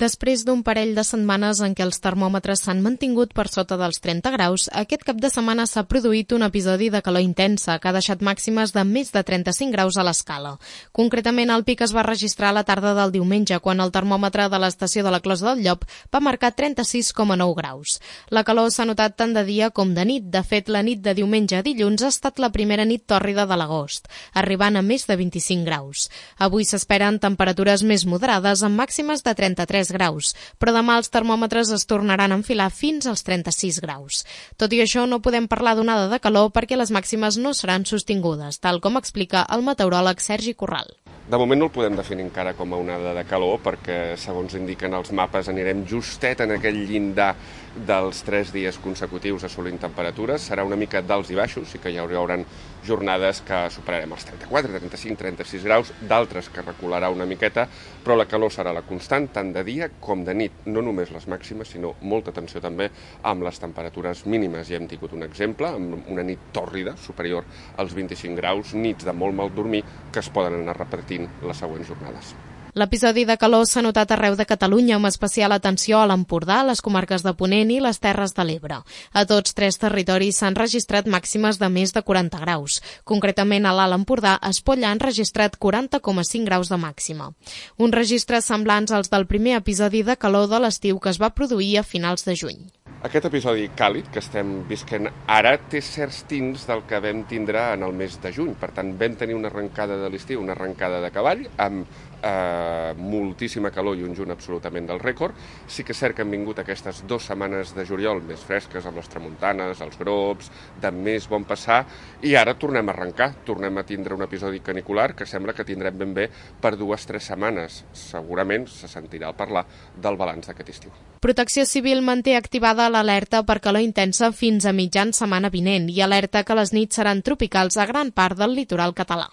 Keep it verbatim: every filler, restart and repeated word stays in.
Després d'un parell de setmanes en què els termòmetres s'han mantingut per sota dels trenta graus, aquest cap de setmana s'ha produït un episodi de calor intensa que ha deixat màximes de més de trenta-cinc graus a l'escala. Concretament, el pic es va registrar a la tarda del diumenge, quan el termòmetre de l'estació de la Closa del Llop va marcar trenta-sis coma nou graus. La calor s'ha notat tant de dia com de nit. De fet, la nit de diumenge a dilluns ha estat la primera nit tòrrida de l'agost, arribant a més de vint-i-cinc graus. Avui s'esperen temperatures més moderades amb màximes de trenta-tres graus, però demà els termòmetres es tornaran a enfilar fins als trenta-sis graus. Tot i això, no podem parlar d'onada de calor perquè les màximes no seran sostingudes, tal com explica el meteoròleg Sergi Corral. De moment no el podem definir encara com a onada de calor perquè, segons indiquen els mapes, anirem justet en aquell llindar dels tres dies consecutius assolint temperatures. Serà una mica d'alts i baixos, i que hi haurà jornades que superarem els trenta-quatre, trenta-cinc, trenta-sis graus, d'altres que recularà una miqueta, però la calor serà la constant tant de dia com de nit. No només les màximes, sinó molta atenció també amb les temperatures mínimes. Ja hem tingut un exemple, amb una nit tòrrida superior als vint-i-cinc graus, nits de molt mal dormir que es poden anar repetint les següents jornades. L'episodi de calor s'ha notat arreu de Catalunya, amb especial atenció a l'Empordà, les comarques de Ponent i les Terres de l'Ebre. A tots tres territoris s'han registrat màximes de més de quaranta graus. Concretament, a l'Alt Empordà, Espolla han registrat quaranta coma cinc graus de màxima. Uns registres semblants als del primer episodi de calor de l'estiu que es va produir a finals de juny. Aquest episodi càlid que estem visquent ara té certs tints del que vam tindre en el mes de juny. Per tant, vam tenir una arrencada de l'estiu, una arrencada de cavall, amb eh, moltíssima calor i un juny absolutament del rècord. Sí que és cert que han vingut aquestes dues setmanes de juliol més fresques, amb les tramuntanes, els grops, de més bon passar, i ara tornem a arrencar. Tornem a tindre un episodi canicular que sembla que tindrem ben bé per dues o tres setmanes. Segurament se sentirà al parlar del balanç d'aquest estiu. Protecció Civil manté activada l'alerta per calor intensa fins a mitjan setmana vinent i alerta que les nits seran tropicals a gran part del litoral català.